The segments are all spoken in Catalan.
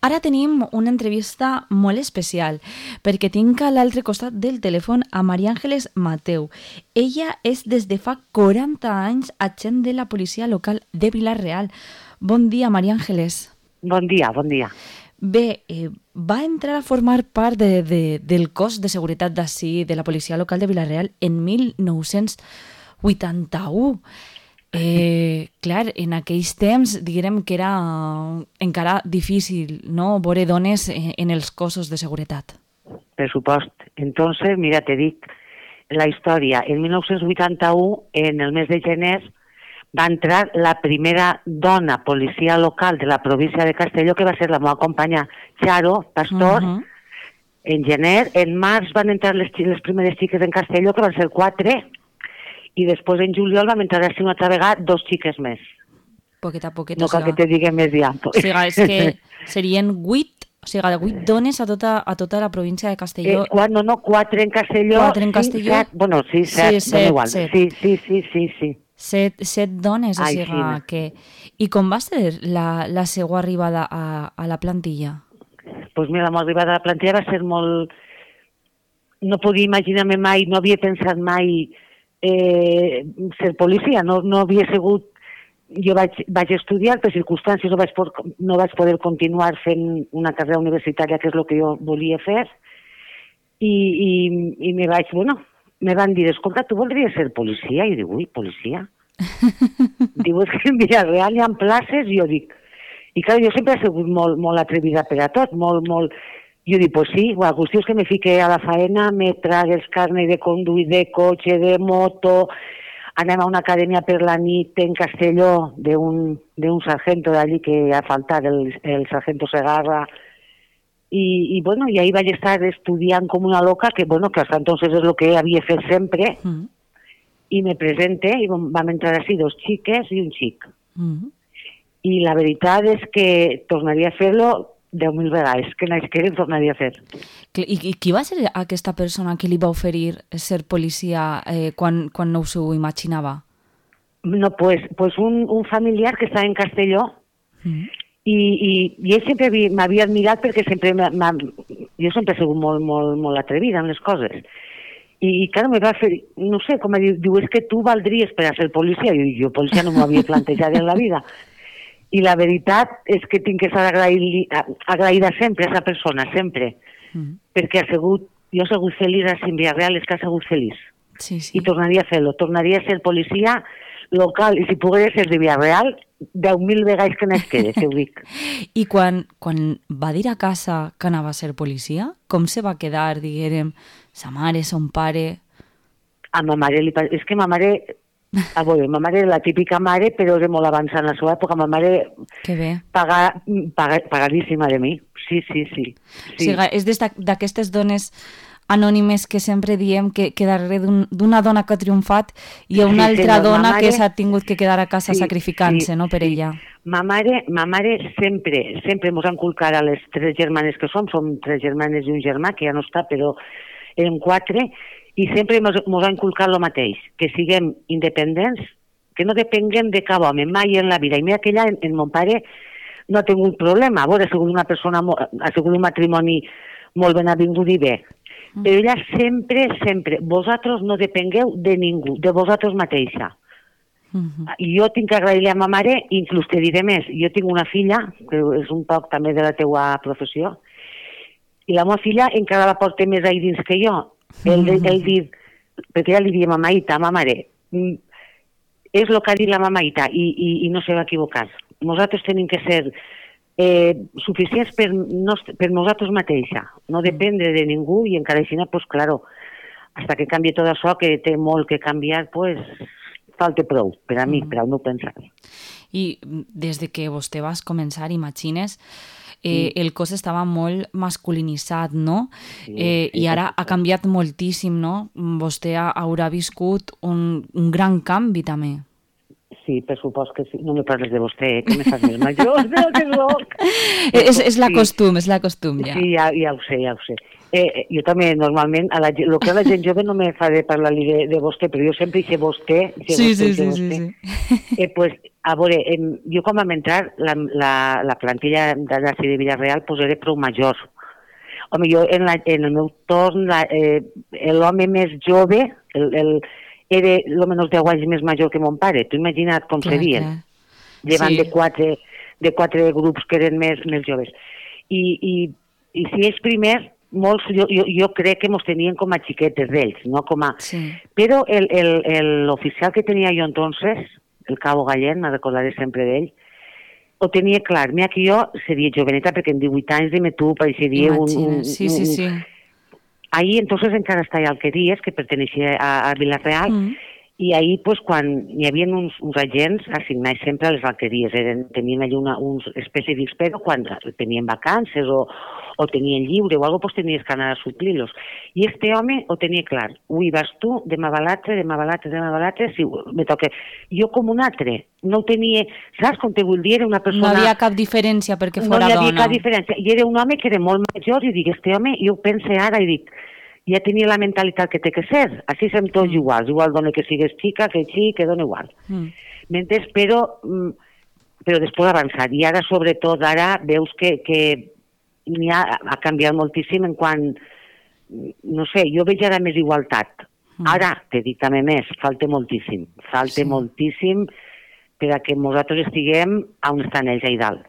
Ara tenim una entrevista molt especial perquè tinc a l'altre costat del telèfon a María Ángeles Mateu. Ella és des de fa 40 anys agent de la policia local de Vila-real. Bon dia, María Ángeles. Bon dia, bon dia. Bé, va entrar a formar part del cos de seguretat d'ací, de la policia local de Vila-real, en 1981. Clar, en aquells temps diguem que era encara difícil, no?, veure dones en els cossos de seguretat. Per supost. Entonces, mira, te dic la història. En 1981, en el mes de gener, va entrar la primera dona policia local de la província de Castelló, que va ser la meva companya Charo Pastor. En gener, en març van entrar les primeres xiques en Castelló, que van ser 4, i després en juliol vam entrar així una altra vegada 2 xiques més. Poquet a poquet. No cal que te digui més ja. O sigui, és que serien 8, o sigui, 8 dones a tota la província de Castelló. 4 en Castelló. 4 en Castelló. 7, bueno, sí, 7, sí, dona igual. 7. Sí. 7 dones, o sigui, sí. que... I com va ser la seva arribada a la plantilla? Pues mira, la meva arribada a la plantilla va ser molt... No podia imaginar-me mai, no havia pensat mai ser policia, no havia sigut... Jo vaig estudiar, per circumstàncies no vaig poder continuar fent una carrera universitària, que és el que jo volia fer, i me van dir, escolta, tu voldries ser policia? I dic, ui, policia? Diu, és que en Vila-real hi ha places, i jo dic... I clar, jo sempre he sigut molt atrevida per a tot, molt... Jo dic, pues sí, la qüestió és que me fique a la faena, me trague els carnet de conduir de cotxe, de moto, anem a una acadèmia per la nit en Castelló d'un sargento d'allí que ha faltat, el sargento Segarra, i ahí vaig estar estudiant com una loca, que hasta entonces és el que havia fet sempre, i me presente, i vam entrar així 2 xiques i un xic. I la veritat és que tornaria a fer-lo 10.000 vegades, que naixquera tornaria a fer. I qui va ser aquesta persona que li va oferir ser policia quan no s'ho imaginava? No, pues un familiar que estava en Castelló, i ell sempre m'havia admirat perquè jo sempre he sigut molt atrevida en les coses. I clar, me va fer, no sé, com diu, és que tu valdries per a ser policia. Jo policia no m'ho havia plantejat en la vida. I la veritat és que tinc que estar agraïda sempre a aquesta persona, sempre, perquè jo he sigut feliç a Vila-real, és que ha sigut feliç. I tornaria a fer-lo, tornaria a ser policia local, i si pogués ser de Vila-real, 10.000 vegades que n'esquedes, ho dic. I quan va dir a casa que anava a ser policia, com se va quedar, diguérem, sa mare, son pare? A ma mare és que ma mare... ma mare era la típica mare, però era molt avançada en la seva època. Ma mare pagadíssima de mi. Sí. O sigui, és d'aquestes dones anònimes que sempre diem que darrere d'una dona que ha triomfat hi ha una altra dona que s'ha tingut que quedar a casa sacrificant-se, no, per ella. Ma mare sempre ens ha inculcat a les 3 germanes que som 3 germanes i un germà, que ja no està, però eren 4, i sempre ens ha inculcat el mateix, que siguem independents, que no depenguem de cap home, mai en la vida. I mira que ella, en mon pare, no ha tingut problema. Ha sigut una persona, ha sigut un matrimoni molt ben avingut i bé. Però ella sempre, vosaltres no depengueu de ningú, de vosaltres mateixa. Jo tinc que agrair-li a ma mare, inclús te diré més, jo tinc una filla, que és un poc també de la teua professió, i la meva filla encara la porta més ahí dins que jo. Ell diu, perquè ja li diem a Maita, a ma mare, és el que ha dit la mamaita i no se va equivocar. Nosaltres tenim que ser suficients per nosaltres mateixa, no dependre de ningú, i encara així, pues claro, hasta que canvi tot això, que té molt que canviar, pues falta prou, per a mi, per al meu pensar. I des de que vostè vas començar, imagines, el cos estava molt masculinitzat, no? I ara ha canviat moltíssim, no? Vostè haurà viscut un gran canvi, també. Sí, per supost que sí. No me parles de vostè, que me fas més major, però que soc. És la costum, ja. Sí, ja ho sé. Jo també, normalment, el que la gent jove no me fa de parlar-li de vostè, però jo sempre dic vostè. Sí. Pues a veure, jo quan vam entrar, la plantilla d'ací de Vila-real pues era prou major. Home, jo en el meu torn, l'home més jove era almenys 10 anys més major que mon pare. Tu imagina't com serien. Llevant de quatre grups que eren més joves. I si ells primers, molts, jo crec que mos tenien com a xiquetes d'ells, no com a... Però l'oficial que tenia jo entonces, el Cabo Gallén, me recordaré sempre d'ell, ho tenia clar. Mira que jo seria joveneta perquè en 18 anys, dime tu, pareixeria un... Sí. Ahí entonces encara està Alqueries, que perteneixia a Vila-real, i ahí, pues, quan hi havia uns agents assignats sempre a les alqueries, tenien allà uns específics, però quan tenien vacances o tenien lliure o alguna cosa, pues tenies que anar a suplir-los. I este home ho tenia clar. Ui, vas tu, demà va l'altre, sí, me toca. Jo com un altre, no ho tenia... Saps com te vull dir? Era una persona... No hi havia cap diferència perquè fora dona. No hi havia cap diferència. I era un home que era molt major, i dic, este home, jo ho pense ara, i dic, ja tenia la mentalitat que té que ser. Així som tots iguals. Igual dona que sigues xica, que xic, que dona igual. Mentre, però després avançat. I ara, sobretot, ara veus que ha canviat moltíssim en quant... No sé, jo veig ara més igualtat. Ara, te dic també més, falta moltíssim. Falta moltíssim per a que nosaltres estiguem on estan ells, a dalt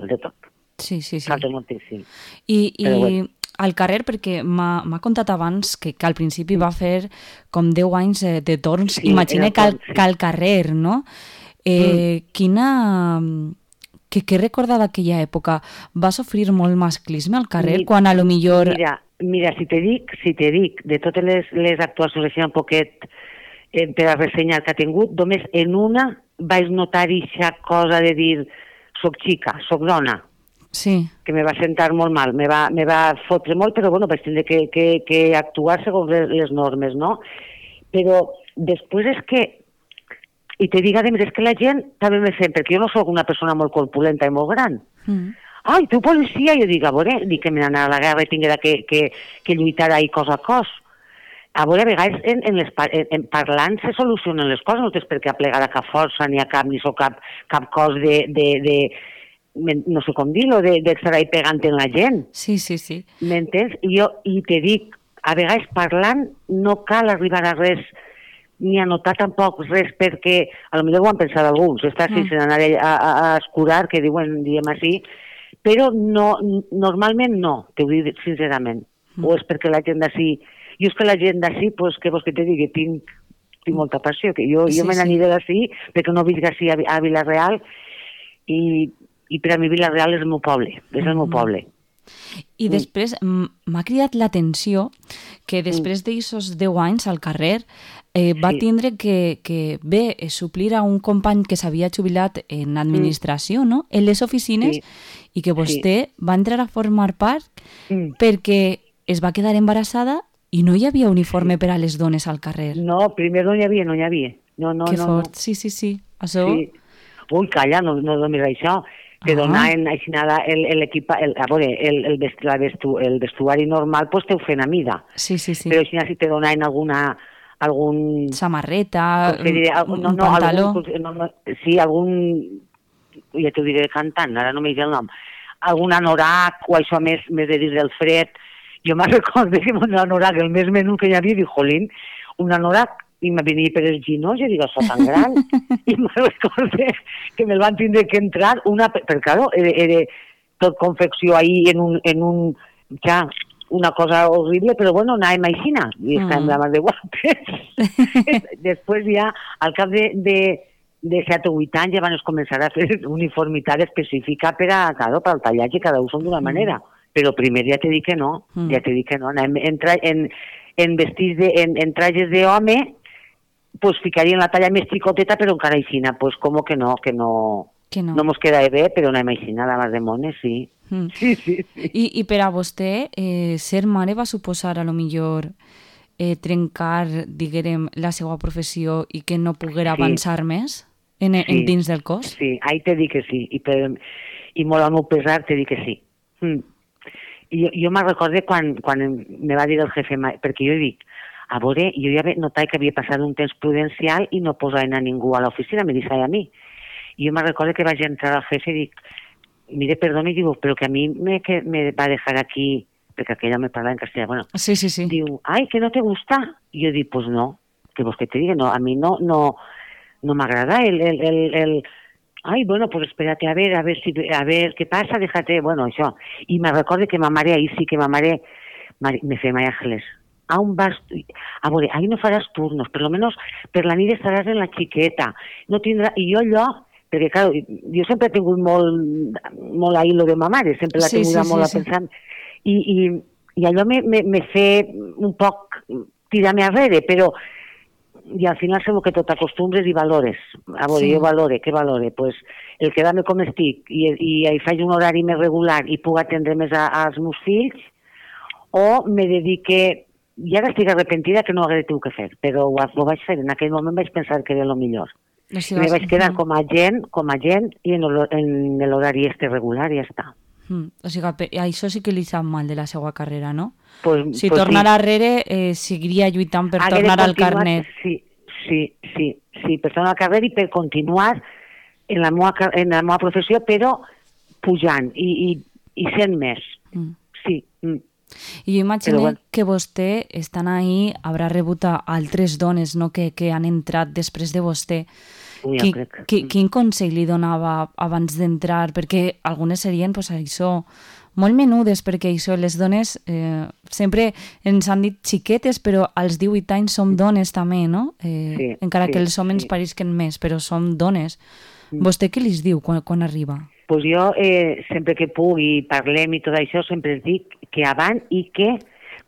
de tot. Sí. Falta moltíssim. I al carrer, perquè m'ha contat abans que al principi va fer com 10 anys de torns, imagina que al carrer, no? Què recorda d'aquella època? Va sofrir molt masclisme al carrer, quan a lo millor... Mira, si te dic de totes les actuacions així un poquet per a ressenyar que ha tingut, només en una vaig notar aquesta cosa de dir soc xica, soc dona. Sí. Que me va sentar molt mal, me va fotre molt, però bueno, vaig tindre que actuar segons les normes, no? Però després és que, i te dic, és que la gent també me sent, perquè jo no soc una persona molt corpulenta i molt gran. Ai, tu policia, jo dic, a veure, que me n'anarà a la guerra i tinguera que lluitar ahí cos a cos. A veure, a vegades en parlant se solucionen les coses, no tens per què aplegar a cap força, ni a cap, ni cap cos de no sé com dir-lo, d'estar ahí pegant en la gent. Sí. M'entens? I te dic, a vegades parlant no cal arribar a res, ni a notar tampoc res, perquè a lo millor ho han pensat alguns, està sense anar a escurar, que diem així, però no, normalment no, te ho dic sincerament. O és perquè la gent d'ací... Jo és que la gent d'ací, pues, què vols que te digui, tinc molta passió, que jo me n'aniré d'ací, perquè no visc així a Vila-real, i per a mi Vila-real és el meu poble, I després m'ha cridat l'atenció que després d'aquests 10 anys al carrer va tindre que suplir a un company que s'havia jubilat en administració, no? En les oficines, i que vostè va entrar a formar part perquè es va quedar embarassada i no hi havia uniforme per a les dones al carrer. No, primer no hi havia. No, que fort, sí. Això... Ui, calla, no només això. Te donaven així nada l'equip, a veure, el vestuari normal, pues te ho feien a mida. Sí. Però així si te donaven algun... samarreta, un pantaló... Sí, algun... Ja t'ho diré cantant, ara no m'he dit el nom. Algun anorac, o això més de dir del fred. Jo me'n recordo que un anorac, el més menú que hi havia, dic, jolín, un anorac, i me venia per els ginós, jo dic, això tan gran, i me'n recordo que me'l van tindre que entrar, perquè, claro, era tot confecció ahí en un, ja, una cosa horrible, però bueno, anàvem aixina, i estàvem la mà de guapes. Després ja, al cap de 7 o 8 anys, ja van començar a fer uniformitat específica per al tallatge, cada un són d'una manera, però primer ja t'he dit que no, anàvem en vestits, en trajes d'home, pues ficarien la talla més xicoteta, però encara aixina, pues com que no mos queda bé, però anem aixina, la mar de mones, sí. Sí. I per a vostè, ser mare va suposar a lo millor trencar, diguem, la seva professió i que no poguera avançar més dins del cos? Sí, ahí te dic que sí, i molt al meu pesar te dic que sí. Jo me'n recordo quan me va dir el jefe, perquè jo dic, a veure, jo ja notat que havia passat un temps prudencial i no posaven a ningú a l'oficina, me deixava a mi. I jo me recordo que vaig entrar al jefe i dic, mire, perdoni, digo, però que a mi me va dejar aquí, perquè aquella me parla en castellà, bueno, Sí. diu, ay, que no te gusta. Y yo digo, pues no, que vos que te diga, no, a mí no me agrada ay, bueno, pues espérate a ver qué pasa, déjate, bueno, això. I me recordo que ma mare, ahí sí que ma mare me feia María Ángeles, a veure, ahí no faràs turnos, per lo menos per la nit estaràs en la xiqueta, no tindrà, i jo allò, perquè clar, jo sempre he tingut molt ahí lo de ma mare, sempre l'ha tingut molt a pensar, i allò me fe un poc tirar-me arrere, però i al final sembla que tot acostumbres i valores. A veure, jo què valore? Pues el quedar-me com estic i faig un horari més regular i puc atendre més als meus fills, o me dedique, i ara estic arrepentida que no ho hagués tingut que fer, però ho vaig fer, en aquell moment vaig pensar que era el millor. I me vaig quedar com a gent i en l'horari regular i ja està. O sigui, això sí que li sap mal de la seva carrera, no? Si pues tornara arrere, seguiria lluitant per tornar al carnet. Sí, per tornar al carnet i per continuar en la meva professió, però pujant i sent més. Sí. I jo imagino que vostè, estant ahí, haurà rebut a altres dones, no?, que han entrat després de vostè. Quin consell li donava abans d'entrar? Perquè algunes serien, pues, això, molt menudes, perquè això, les dones sempre ens han dit xiquetes, però als 18 anys som dones també, no? Encara que els homes parisquen més, però som dones. Vostè què li diu quan arriba? Pues jo, sempre que puc i parlem i tot això, sempre els dic que avant i que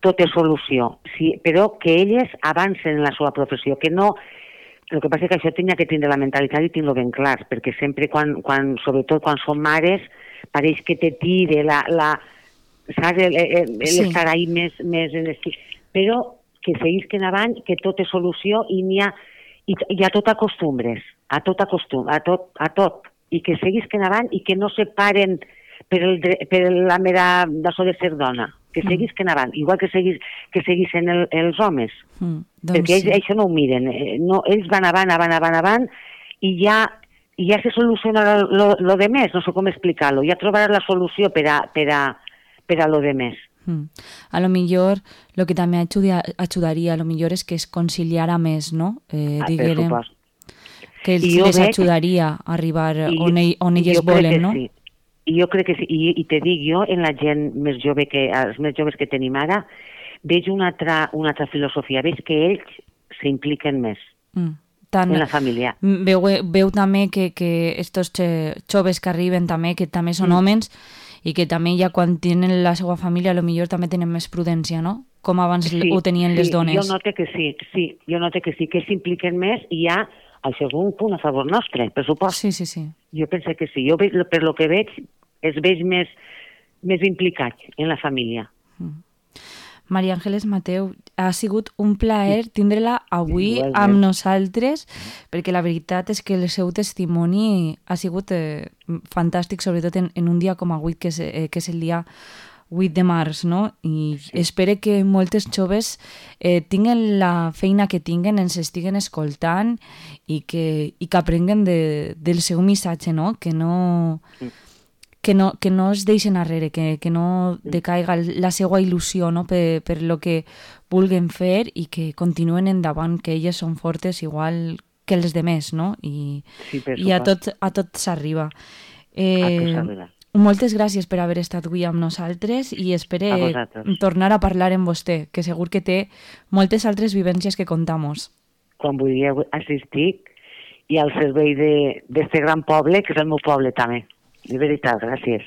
tot és solució, però que elles avancen en la seva professió, que no... El que passa és que això tenia que tindre la mentalitat i tindre-ho ben clar, perquè sempre, sobretot quan som mares, pareix que te tire saps, l'estar ahí més en l'estic. Però que seguisquen avant, que tot és solució i a tot acostumbres, a tot, i que seguisquen avant i que no se paren per la mera d'això de ser dona, que seguisquen avant, igual que seguissin els homes, perquè ells això no ho miren, ells van avant i ja se soluciona lo de més, no sé com explicar-lo, ja trobaràs la solució per a lo de més. A lo millor, lo que també ajudaria, a lo millor és que es conciliara més, no? Diguérem, que les ajudaria a arribar on elles volen, no? I jo crec que sí, i te dic jo, en la gent més jove, els més joves que tenim ara, veig una altra filosofia, veig que ells s'impliquen més en la família. Veu també que estos joves que arriben també, que també són homes, i que també ja quan tenen la seva família potser també tenen més prudència, no? Com abans ho tenien les dones. Jo noto que sí, que s'impliquen més i ja això és un punt a favor nostre, per supost. Sí. Jo penso que sí. Jo, per lo que veig, els veig més implicats en la família. María Ángeles Mateu, ha sigut un plaer tindre-la avui amb nosaltres, perquè la veritat és que el seu testimoni ha sigut fantàstic, sobretot en un dia com avui, que és el dia 8 de març, no? I espero que moltes joves tinguen la feina que tinguen, ens estiguen escoltant i que aprenguen del seu missatge, no? Que no es deixen arrere, que no decaiga la seva il·lusió, no? per lo que vulguen fer i que continuen endavant, que elles són fortes igual que els demés, no? I a tot s'arriba. Moltes gràcies per haver estat avui amb nosaltres i espero tornar a parlar amb vostè, que segur que té moltes altres vivències que contar-nos. Quan vulgueu assistir i al servei d'este gran poble, que és el meu poble també. De veritat, gràcies.